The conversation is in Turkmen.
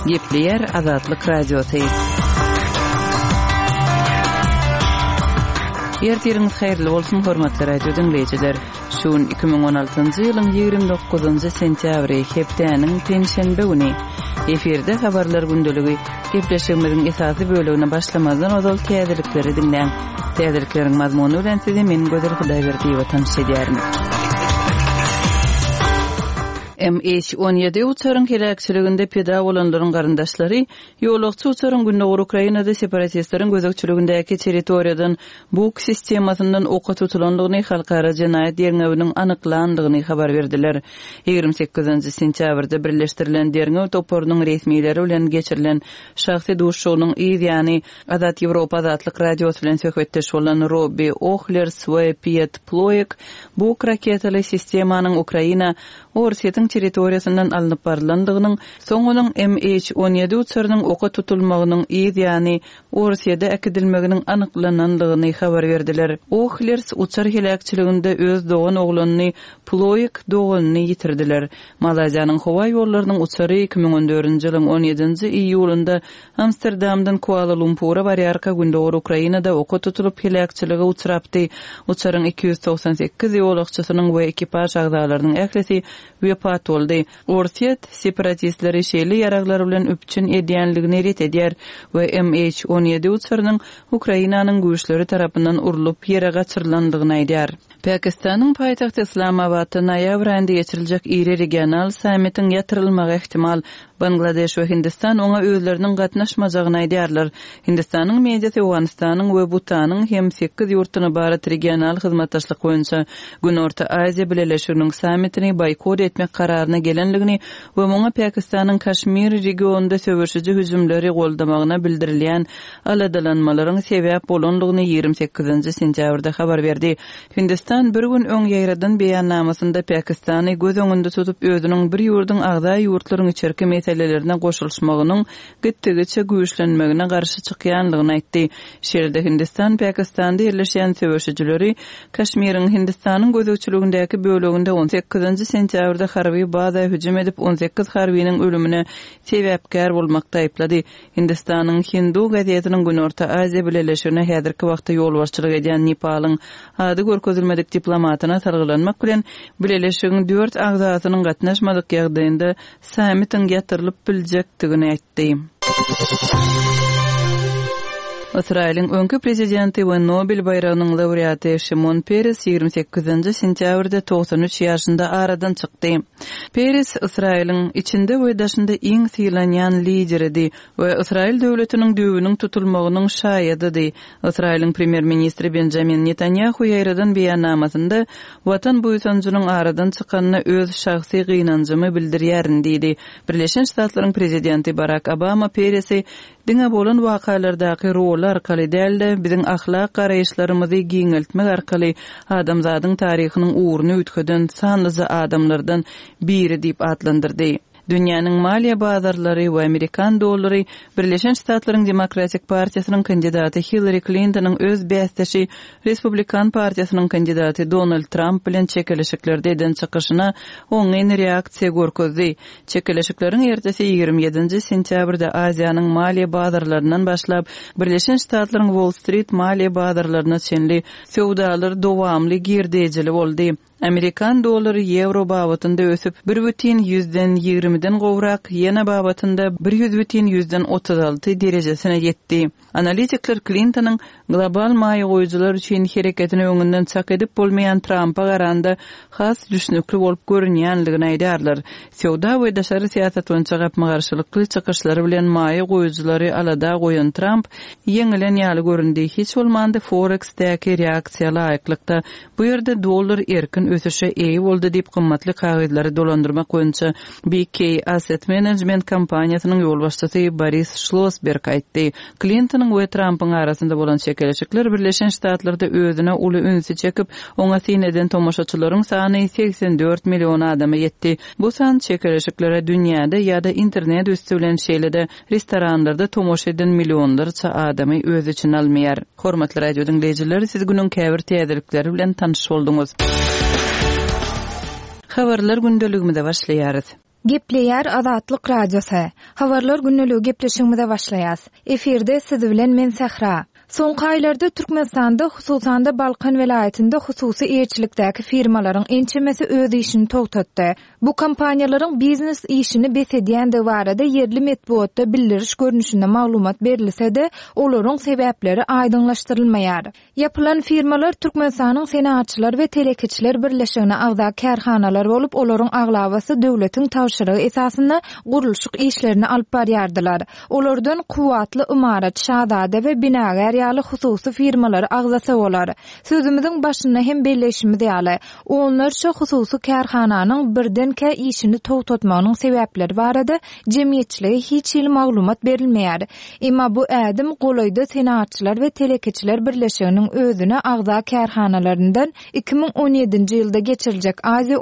Gepleýär Azatlyk Radiosy. Ertiriňiz haýyrly bolsun, hormatly radio diňleýjiler! Şu gün 2016-njy ýylyň 29-njy sentýabry, hepdäniň penşenbe güni. Efirde Habarlar gündeligi. Gepleşigimiziň esasy bölegine başlamazdan ozal täzelikleri diňläň. Täzelikleriň mazmuny bilen sizi men Gözel Hudaýberdiýewa tanyş edýärin. MH 17 uçaryň heläkçiliginde pida bolanlaryň garyndaşlary ýolagçy uçaryň gündogar Ukrainada separatistleriň gözegçiligindäki territoriýadan Buk sistemasyndan oka tutulandygyny halkara jenaýat derňewiniň anyklandygyny habar berdiler. 28 sentýabrda birleşdirilen derňew toparynyň resmileri bilen geçirilen şahsy duşuşygynyň yz ýany Azat Ýewropa Azatlyk Radiosy bilen söhbetdeş bolan Robbi Ohlers we Piet Ploek Buk raketaly sistemanyň Ukraina Orsýetiň territoriýasyndan alnyp barylandygynyň, soň onuň MH 17 uçarynyň oka tutulmagynyň yz ýany Orsýede äkidilmeginiň anyklanandygyny habar berdiler. Ohlers uçar heläkçiliginde öz dogan oglanyny Ploek doganyny ýitirdiler. Malaýziýanyň howa ýollarynyň uçary 2014-nji ýylyň on ýedinji iýulynda Amsterdamdan Kuala-Lumpura barýarka gündogar Ukrainada oka tutulyp heläkçilige uçrapdy. Uçaryň 298 ýolagçysynyň we ekipaž agzalarynyň ählisi wepat boldy. Orsýet separatistleri şeýle ýaraglar bilen üpjün edýänligini ret edýär we MH 17 uçarynyň Ukrainanyň güýçleri tarapyndan urlup ýere gaçyrylandygyny aýdýar. Pakistanyň paýtagty Yslamabatda noýabr aýynda geçiriljek iri regional sammitiň ýatyrylmagy ähtimal. Bangladeş we Hindistan oňa özleriniň gatnaşmajagyny aýdýarlar. Hindistanyň mediasy Owganystanyň we Butanyň hem sekiz ýurtdan ybarat regional hyzmatdaşlyk boýunça Günorta Aziýa Bileleşiginiň sammitini boýkot etmek kararyna gelendigini we muňa Pakistanyň Kaşmir regionynda söweşiji hüjümleri goldamagyna bildirilýän aladalanmalaryň sebäp bolandygyny 28-nji sentýabrda habar berdi. Hindistan bir gün öň ýaýradan beýannamasynda Pakistany göz öňünde tutup özüniň bir ýurduň agza ýurtlaryň içerki meselelerine goşulyşmagynyň gitdigiçe güýçlenmegine garşy çykýandygyny aýtdy. Şeýle-de Hindistan Pakistanda ýerleşýän söweşijileri Kaşmiriň Hindistanyň gözegçiligindäki böleginde on sekizinji sentýabrda harby baza hüjüm edip 18 harbynyň ölümine sebäpkär bolmakda aýyplady. Hindistanyň Hindu gazetiniň Günorta Aziýa bileleşigine häzirki wagtda ýolbaşçylyk edýän Nepalyň ady görkezilmedik diplomatyna salgylanmak bilen, bileleşigiň dört agzasynyň gatnaşmadyk ýagdaýynda sammitiň ýatyrylyp biljekdigini aýtdy. Ysraýylyň öňki prezidenti we Nobel baýragynyň laureaty Şimon Peres 28-nji sentýabrda 93 ýaşynda aradan çykdy. Peres Ysraýylyň içinde we daşynda iň sylanýan lideridi we Ysraýyl döwletiniň düýbüniň tutulmagynyň şaýadydy. Ysraýylyň premýer-ministri Benjamin Netanýahu ýaýradan beýannamasynda, Watan buýsanjynyň aradan çykanyna öz şahsy gynanjymy bildirýärin diýdi. Birleşen Ştatlaryň prezidenti Barak Obama Peresi Diňe bolan wakalardaky roly arkaly däl-de, biziň ahlak garaýyşlarymyzy giňeltmek arkaly adamzadyň taryhynyň ugruny üýtgeden sanlyja adamlardan biri diýip atlandyrdy. Dünýäniň maliýe bazarlary we amerikan dollary Birleşen Ştatlaryň Demokratik partiýasynyň kandidaty Hillari Klintonyň öz bäsdeşi Respublikan partiýasynyň kandidaty Donald Tramp bilen çekeleşiklerde eden çykyşyna oňyn reaksiýa görkezdi. Çekeleşikleriň ertesi 27-nji sentýabrda Aziýanyň maliýe bazarlaryndan başlap, Birleşen Ştatlaryň Wall-Strit maliýe bazarlaryna çenli söwdalar dowamly girdejili boldy. Amerikan dollary ýewro babatynda ösüp, bir bütin ýüzden ýigrimiden gowrak, ýena babatynda bir ýüz bütin ýüzden 36 derejesine ýetdi. Analitikler Klintonyň global maýa goýujylar üçin hereketini öňünden çak edip bolmaýan Trampa garanda has düşnükli bolup görünýändigini aýdýarlar. Söwda we daşary syýasat boýunça gapma-garşylykly çykyşlary bilen maýa goýujylary alada goýan Tramp ýeňilen ýaly göründi, hiç bolmanda Forex-däki reaksiýa laýyklykda bu ýerde dollar erkin ösüşe eýe boldy diýip gymmatly kagyzlary dolandyrmak boýunça BK Asset Management kompaniýasynyň ýolbaşçysy Boris Şlosberg aýtdy. Klintonyň we Trampyň arasynda bolan çekeleşikler Birleşen Ştatlarda özüne uly ünsi çekip, oňa syn eden tomaşaçylaryň sany 84 million adama ýetdi. Bu san çekeleşiklere dünýäde ýa-da internet üsti bilen şeýle-de restoranlarda tomaşa eden millionlarça adamy öz içine almaýar. Hormatly radio diňleýjiler, siz günüň käbir täzelikleri bilen tanyş bolduňyz. Habarlar gündeligimize başlaýarys. Gepleýär Azatlyk Radiosy. Habarlar gündeligi gepleşigimize başlaýas. Efirde siz bilen men Sähra. Soňky aýlarda Türkmenistanda, hususan-da Balkan welaýatynda hususy eýeçilikdäki firmalaryň ençemesi öz işini togtatdy. Bu kompaniýalaryň biznes işini bes edýändigi barada ýerli metbugatda bildiriş görnüşinde maglumat berilse-de, olaryň sebäpleri aýdyňlaşdyrylmaýar. Ýapylan firmalar Türkmenistanyň Senagatçylar we telekeçiler birleşigine agza kärhanalar bolup, olaryň aglabasy döwletiň tabşyrygy esasynda gurluşyk işlerini alyp barýardylar. Olardan Kuwwatly ymarat, Şazada we Binagär ýaly hususy firmalary agzasa bolar. Sözümiziň başynda hem belleýşimiz ýaly, onlarça hususy kärhananyň birdenkä işini togtatmagynyň sebäpleri barada jemgyýetçilige hiç hili maglumat berilmeýär. Emma bu ädim golaýda Senagatçylar we telekeçiler birleşiginiň özüne agza kärhanalaryndan 2017-nji ýylda geçiriljek Aziýa.